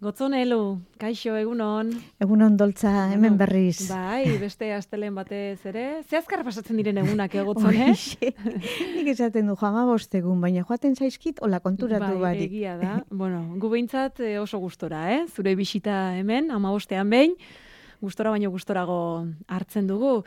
Gotzon Elu, kaixo egunon. Egunon doltza, hemen berriz. Bai, beste astelen batez ere. Ze azkar pasatzen diren egunak Gotzon, Nik esaten du joama bostegun, baina joaten zaizkit, hola konturatu bai, barik. Egia da. Bueno, gu behintzat oso gustora, Zure bisita hemen, 15ean behin, gustora baino gustorago hartzen dugu.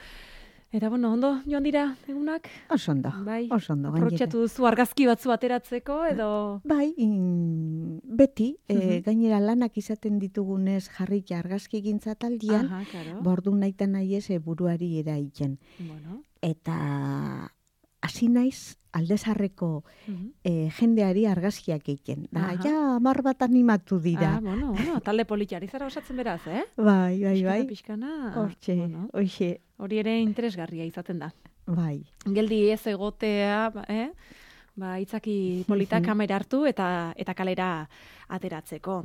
Eta, ondo joan dira egunak? Oso ondo, bai. Oso ondo. Aprotxatu duzu argazki batzu ateratzeko, edo... Bai, beti, gainera lanak izaten ditugunez jarrika argazki gintza taldian, bordu naita nahi ez buruari eraiten. Bueno. Eta hasi naiz aldezarreko jendeari argazkiak egiten. Da, ja, 10 bat animatu dira. Talde politiari zara osatzen beraz, Bai. Pixkana. Hortxe. Hori ere interesgarria izaten da. Bai. Geldi ez egotea, itzaki polita kamera hartu eta kalera ateratzeko.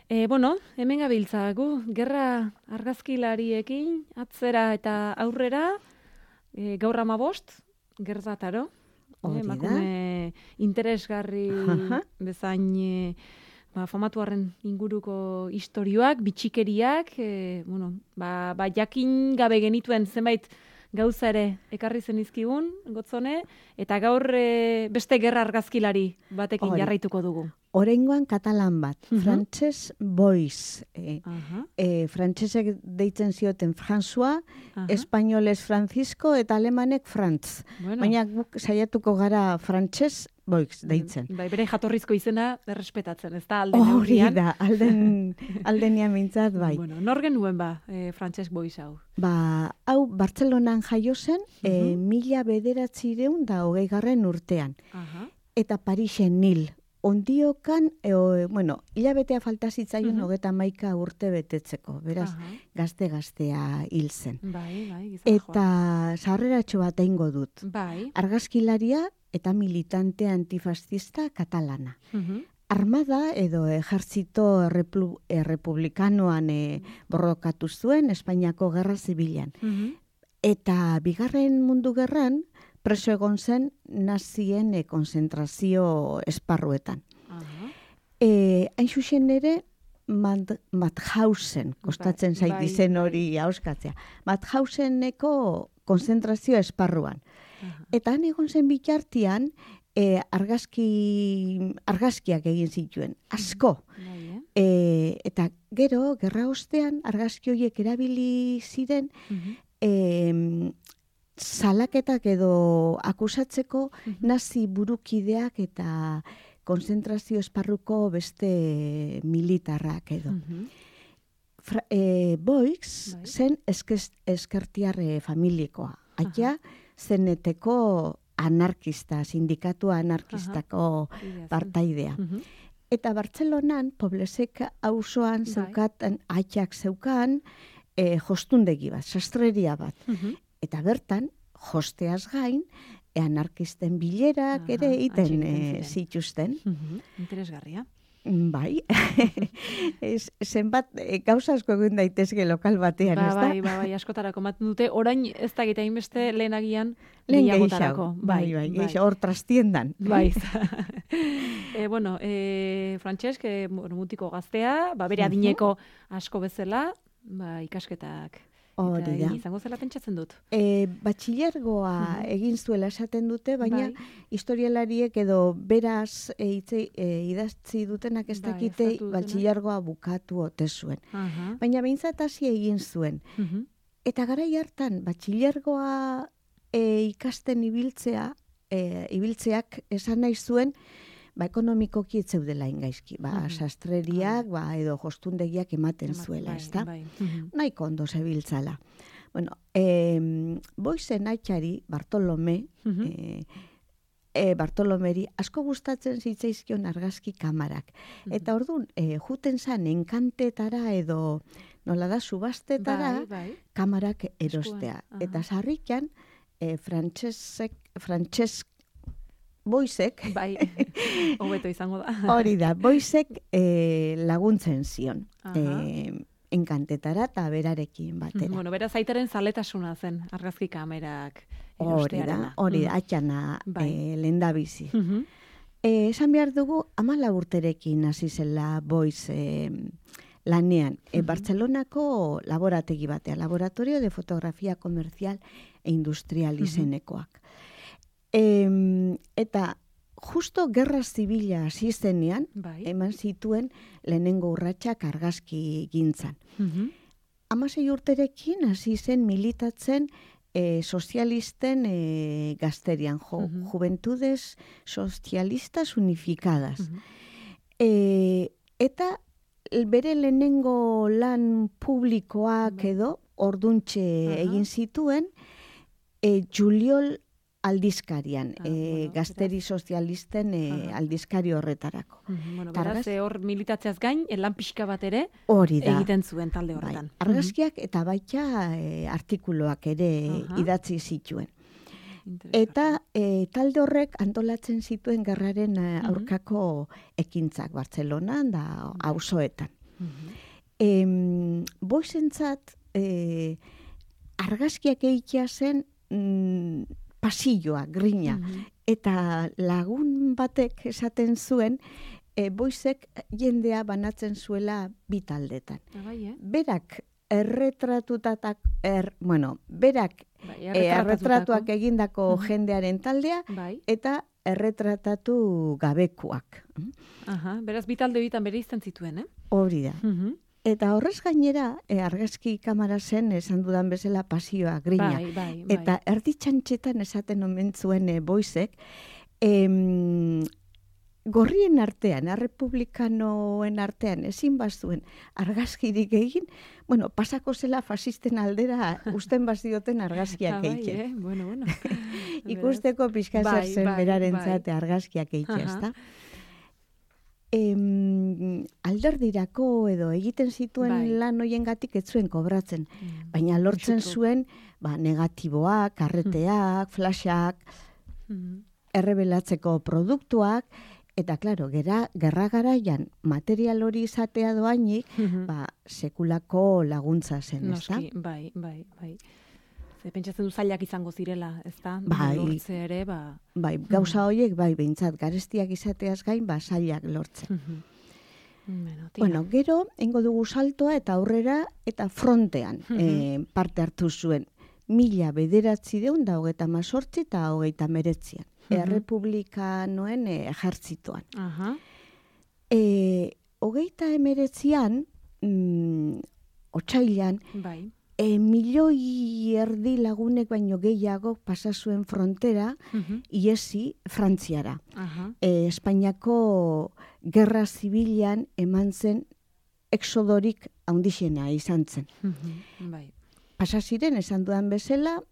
Hemen gabiltza gu, gerra argazkilariekin, atzera eta aurrera, gaur 15, gertataro. Emakume interesgarri bezain famatuaren inguruko istorioak, bitxikeriak, jakin gabe genituen zenbait gauza ere ekarri zenizkigun, Gotzone, eta gaur beste gerra argazkilari batekin jarraituko dugu. Oraingoan katalan bat, Frantses Boix. Frantsesek deitzen zioten François, espainolez Francisco eta alemanek Franz. Baina guk saiatuko gara Frantses Boix deitzen. Bere jatorrizko izena errespetatzen, ez da alden neurrian? Hori da, aldenian mintzat, bai. Nor genuen Frantses Boix hau? Hau Bartzelonan jaio zen, 1920 urtean. Eta Parisen hil. Ondiokan, hilabetea falta zitzaion 31 urte betetzeko, beraz, gazte-gaztea hil zen. Eta sarreratxo bat eingo dut. Argazkilaria eta militante antifascista katalana. Armada edo ejertzito republikanoan borrokatu zuen Espainiako Gerra Zibilan. Eta Bigarren Mundu Gerran, preso egon zen nazien konzentrazio esparruetan. Hain zuzen ere, Mauthausen, kostatzen zait izen hori hauskatzea, Mauthauseneko konzentrazio esparruan. Eta han egon zen bitartean, argazkiak egin zituen, asko. Eta gero, gerra ostean, argazki horiek erabili ziren, salaketak edo akusatzeko nazi burukideak eta konzentrazio esparruko beste militarrak edo. Boix zen eskertiar familikoa. Aia zeneteko anarkista, sindikatu anarkistako partaidea. Eta Bartzelonan, Poblesek auzoan zeukaten, aitak zeukan, jostundegi bat, sastreria bat. Eta bertan, josteaz gain, anarkisten bilerak ere egiten zituzten. Interesgarria. Bai. Zenbat gauza asko egin daitezke lokal batean, ez da? Bai, askotarako maten dute. Orain ez da gita inbeste lehenagian gehiagotarako. Bai, hor trastiendan. Bai. Frantsesk, mutiko gaztea, bere adineko asko bezala, ikasketak izango zela pentsatzen dut. Batxilergoa egin zuela esaten dute, baina historialariek edo beraz idatzi dutenak ez dakite batxilergoa bukatu ote zuen. Baina behintzat hasi egin zuen. Eta garai hartan batxilergoa ikasten ibiltzeak esan nahi zuen ekonomikoki ez zeudela ingaizki. Sastreriak edo jostundegiak ematen zuela, ez da? Nahiko ondo zebiltzala. Boizen aitxari, Bartolomeri, asko gustatzen zitzaizkion argazki kamarak. Eta orduan, juten zan enkantetara edo nola da subastetara kamarak erostea. Eta sarrikan, Frantses Boixek, hobeto izango da. Hori da, Boixek laguntzen zion. Enkantetara eta berarekin batera. Beraz aitaren zaletasuna zen argazki kamerak erostearena. Hori da, atxana lehendabizi. Esan behar dugu, 14 urterekin hasi zela Boiz lanean. Bartzelonako laborategi batea, Laboratorio de Fotografia Comercial e Industrial izenekoak. Eta justo gerra zibila hasi zenean, eman zituen lehenengo urratsak argazki gintzan. 16 urterekin hasi zen militatzen sozialisten gazterian, Juventudes Socialistas Unificadas. Eta bere lehenengo lan publikoak edo orduntxe egin zituen Juliol aldizkarian, gazteri sozialisten aldizkari horretarako. Beraz, hor militatzeaz gain, lan pixka bat ere egiten zuen talde horretan. Argazkiak eta baita artikuluak ere idatzi zituen. Eta talde horrek antolatzen zituen gerraren aurkako ekintzak Bartzelonan da auzoetan. Boizentzat argazkiak egitea zen pasilloa, grina. Eta lagun batek esaten zuen, Boizek jendea banatzen zuela bi taldetan. Berak berak erretratuak egindako jendearen taldea eta erretratatu gabekuak. Beraz, bi talde bitan bere izten zituen, Hori da. Eta horrez gainera, argazki kamara zen, esan dudan bezala pasioa, grina. Eta erditxantxetan esaten omen zuen Boizek, gorrien artean, errepublikanoen artean, ezin bazuen argazkirik egin, pasako zela fasisten aldera usten bazioten argazkiak egiten. Ikusteko pixka zer zen berarentzat argazkiak egiten, ezta? Alderdirako edo egiten zituen lan hoiengatik ez zuen kobratzen, baina lortzen zuen negatiboak, karreteak, flashak, errebelatzeko produktuak, eta klaro, gerra garaian material hori izatea doainik, sekulako laguntza zen, ezta? Noski, bai. Ze pentsatzen du zailak izango zirela, ezta? Lortze ere, Bai, gauza horiek, behintzat, garestiak izateaz gain, zailak lortzen. Gero, engo dugu saltoa eta aurrera eta frontean parte hartu zuen. 1938 eta 1939 errepublikanoen ejertzitoan. 1939 otsailean, 1,500,000 lagunek baino gehiago pasa zuen frontera iesi Frantziara. Espainiako gerra zibilan eman zen exodorik handixena izan zen. Pasa ziren, esan dudan bezala,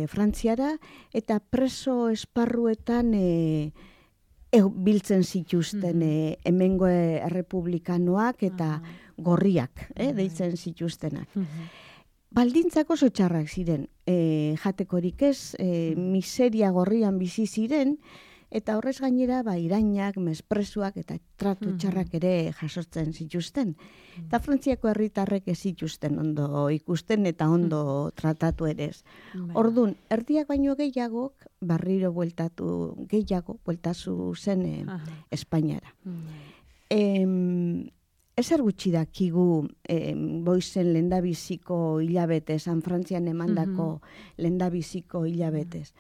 Frantziara eta preso esparruetan biltzen zituzten hemengo errepublikanoak eta gorriak deitzen zituztenak. Baldintzak oso txarrak ziren, jatekorik ez, miseria gorrian bizi ziren, eta horrez gainera irainak, mespresuak eta tratu txarrak ere jasotzen zituzten. Eta Frantziako herritarrek ez zituzten ondo ikusten eta ondo tratatu ere ez. Orduan, erdiak baino gehiagok, barriro bueltazu zen Espainiara. Ezer gutxi dakigu Boizen lehendabiziko hilabetez, San Frantzian emandako lehendabiziko hilabetez.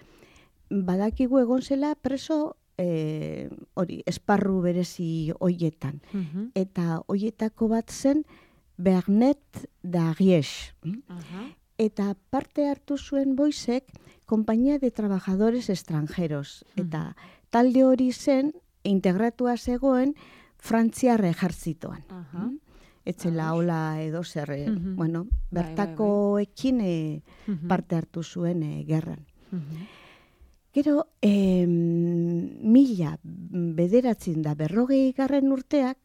Badakigu egon zela preso esparru berezi hoietan. Eta hoietako bat zen Bernet d'Ariège. Eta parte hartu zuen Boizek Compañía de Trabajadores Extranjeros. Eta talde hori zen integratua zegoen Frantziar ejertzitoan. Etzela hola edo zer, bertakoekin parte hartu zuen gerran. Gero, 1940 urteak,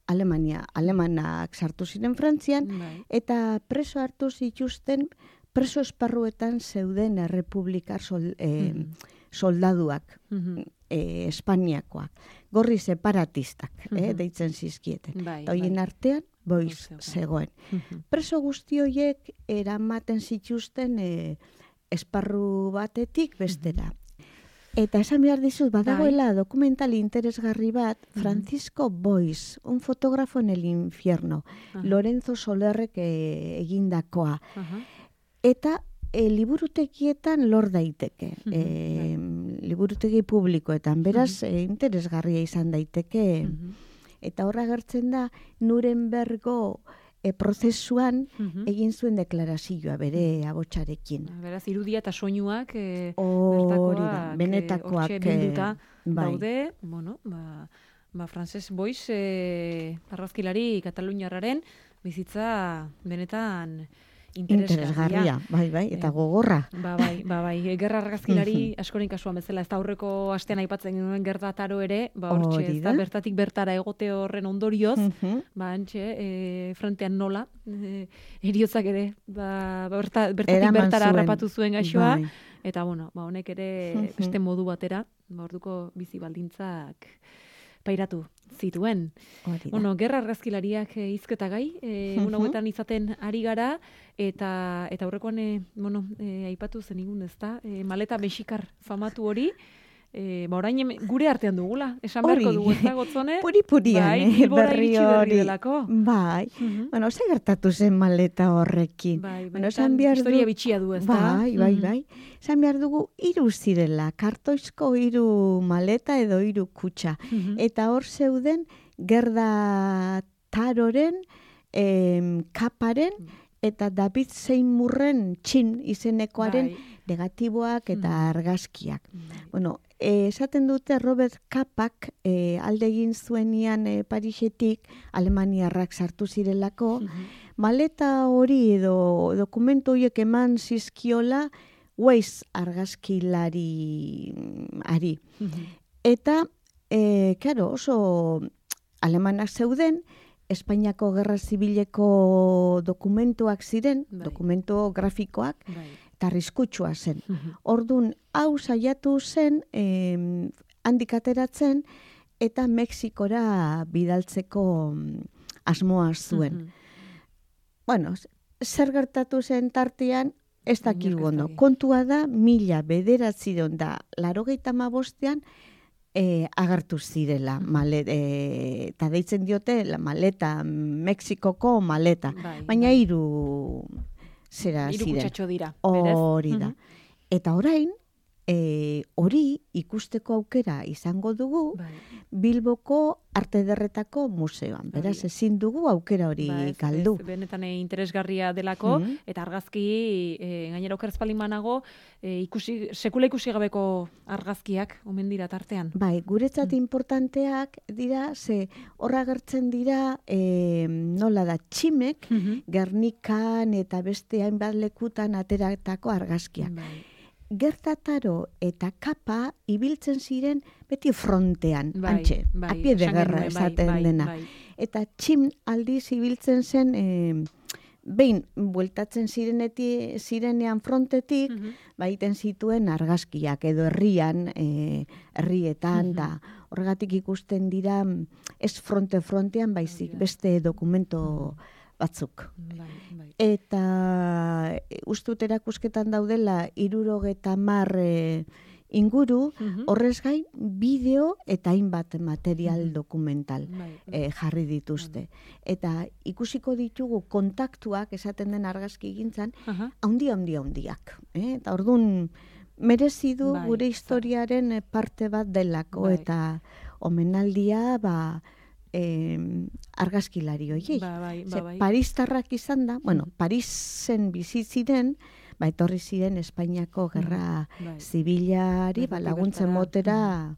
alemanak sartu ziren Frantzian, eta preso hartu zituzten, preso esparruetan zeuden errepublikar soldaduak, Espainiakoak, gorri separatistak, deitzen zizkieten. Eta horien artean, Boiz zegoen. Preso guzti horiek eramaten zituzten esparru batetik bestera. Eta esan behar dizut, badagoela dokumental interesgarri bat, Francisco Boix, un fotógrafo en el infierno, Lorenzo Solerrek egindakoa. Eta liburutegietan lor daiteke, liburutegi publikoetan, beraz interesgarria izan daiteke, eta horra gertzen da, Nurembergo prozesuan egin zuen deklarazioa bere abotsarekin. Beraz, irudia eta soinuak bertakoak benetakoak bilduta daude, bueno, Frances Boix argazkilari kataluniarraren bizitza benetan interesgarria. Bai, eta gogorra. Bai, gerra argazkilari askoren kasuan bezala, ez da aurreko astean aipatzen genuen Gerda Taro ere, hortxe, ez da bertatik bertara egote horren ondorioz, frontean nola, heriotzak ere, bertatik bertara harrapatu zuen gaixoa, eta honek ere beste modu batera, orduko bizi baldintzak pairatu zituen. Gerra argazkilariak hizketa gai, hauetan izaten ari gara, eta aurrekoan aipatu zenigun, ezta? Maleta mexikar famatu hori, orain gure artean dugula, esan beharko dugu, ez da, Gotzone? Puri-purian, berri hori. Bai, ze gertatu zen maleta horrekin. Historia bitxia du, ez da? Bai. Esan behar dugu, 3 zirela, kartoizko 3 maleta edo 3 kutxa. Eta hor zeuden, Gerda Taroren, kaparen, eta David Seymourren txin izenekoaren negatiboak eta argazkiak. Esaten dute Robert Kapak alde egin zuenian Parisetik Alemaniarrak sartu zirelako, maleta hori edo dokumentu horiek eman zizkiola Weiss argazkilari ari. Eta, oso alemanak zeuden, Espainiako Gerra Zibileko dokumentuak ziren, dokumentu grafikoak, eta arriskutsua zen. Orduan, hau saiatu zen, handik ateratzen, eta Mexikora bidaltzeko asmoa zuen. Zer gertatu zen tartean, ez dakigu ondo. Kontua da, 1985 agertu zirela, eta deitzen diote maleta, Mexikoko maleta, baina 3 zera ziren. 3 kutsatxo dira. Hori da. Eta orain, hori ikusteko aukera izango dugu Bilboko Arte Ederretako Museoan. Beraz, ezin dugu aukera hori galdu. Benetan interesgarria delako, eta argazki, gainera okerzpalin banago, sekula ikusi gabeko argazkiak omen dira tartean. Bai, guretzat importanteak dira, ze horra gertzen dira, nola da, tximek, Gernikan eta beste hainbat lekutan ateratako argazkiak. Gerda Taro eta Kapa ibiltzen ziren beti frontean, antxe, apie de guerra esaten dena. Eta txim aldiz ibiltzen zen, behin, bueltatzen zirenean frontetik, baiten zituen argazkiak edo herrietan, da horregatik ikusten dira, ez frontean baizik, beste dokumento batzuk. Eta ustut erakusketan daudela 70 inguru, horrez gain bideo eta hainbat material dokumental jarri dituzte. Eta ikusiko ditugu kontaktuak esaten den argazki gintzan, handiak. Eta orduan merezi du gure historiaren parte bat delako, eta omenaldia argazkilari horiei. Paristarrak izan da, Parisen bizitziren, etorri ziren Espainiako Gerra Zibilari laguntzen motera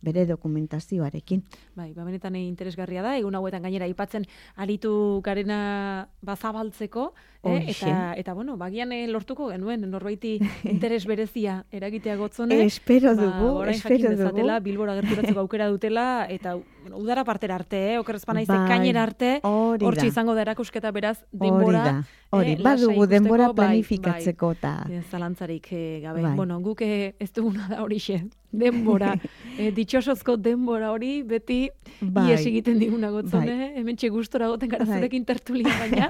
bere dokumentazioarekin. Benetan interesgarria da, egun hauetan gainera aipatzen aritu garena zabaltzeko, eta bagian lortuko genuen norbaiti interes berezia eragitea Gotzone. Espero dugu. Orain jakin dezatela, Bilbora gerturatzeko aukera dutela, eta udara partera arte, okerrezpana kainera arte, hortxe izango da erakusketa beraz, denbora. Badugu denbora planifikatzeko. Zalantzarik gabe. Guk ez duguna da horixe. denbora. Ditxosozko denbora hori beti ies egiten diguna gotzone. Hemen txegustora goten gara zurekin tertulia baina.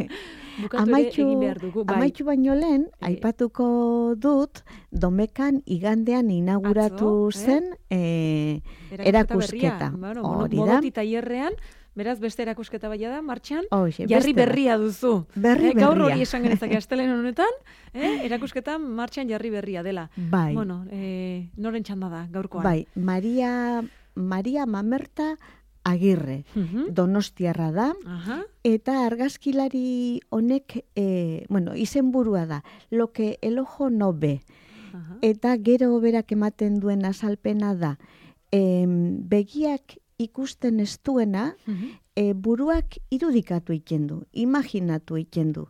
Bukatu ere egin behar dugu. Amaitxu baino lehen, aipatuko dut, Domekan igandean inauguratu zen erakusketa. Modoti tailerrean, beraz beste erakusketa baina da, martxan, jarri berria duzu. Gaur hori esan genezake astelen honetan, erakusketa martxan jarri berria dela. Bai. Bueno, noren txanda da, gaurkoan. Bai, Maria Mamerta Agirre, Donostiarra da, eta argazkilari honek, izenburua da, lo que el ojo no ve. Eta gero berak ematen duen azalpena da, begiak ikusten ez duena, buruak irudikatu egiten du, imaginatu egiten du,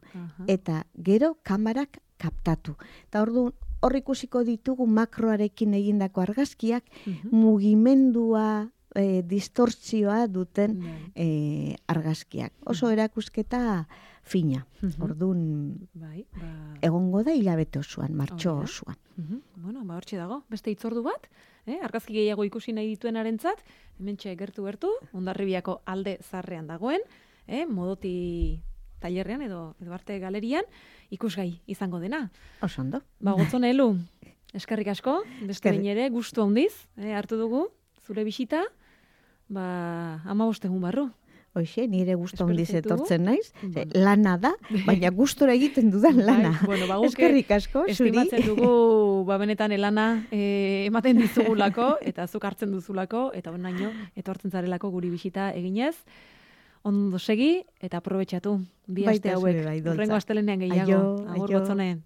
eta gero kamarak kaptatu. Eta hor ikusiko ditugu makroarekin egindako argazkiak, mugimendua, distortzioa duten argazkiak. Oso erakusketa fina. Orduan egongo da hilabete osoan, martxo osoan. Bueno, hortxe dago. Beste hitzordu bat, argazki gehiago ikusi nahi dituenarentzat, hementxe gertu, Hondarribiako alde zarrean dagoen, Modoti tailerrean edo arte galerian, ikusgai izango dena. Oso ondo. Gotzone Elu, eskerrik asko, beste behin ere, gustu handiz, hartu dugu, zure bisita, 15 egun barru. Hoxe, nire gustu handiz etortzen naiz, lana da, baina gustora egiten dudan lana. Eskerrik asko, zuri. Estimatzen dugu, benetan lana ematen dizugulako, eta zuk hartzen duzulako, eta benaino, etortzen zarelako guri bisita eginez. Ondo segi, eta aprobetxatu. Bi aste hauek. Urrengo astelenean gehiago. Agur, Gotzone.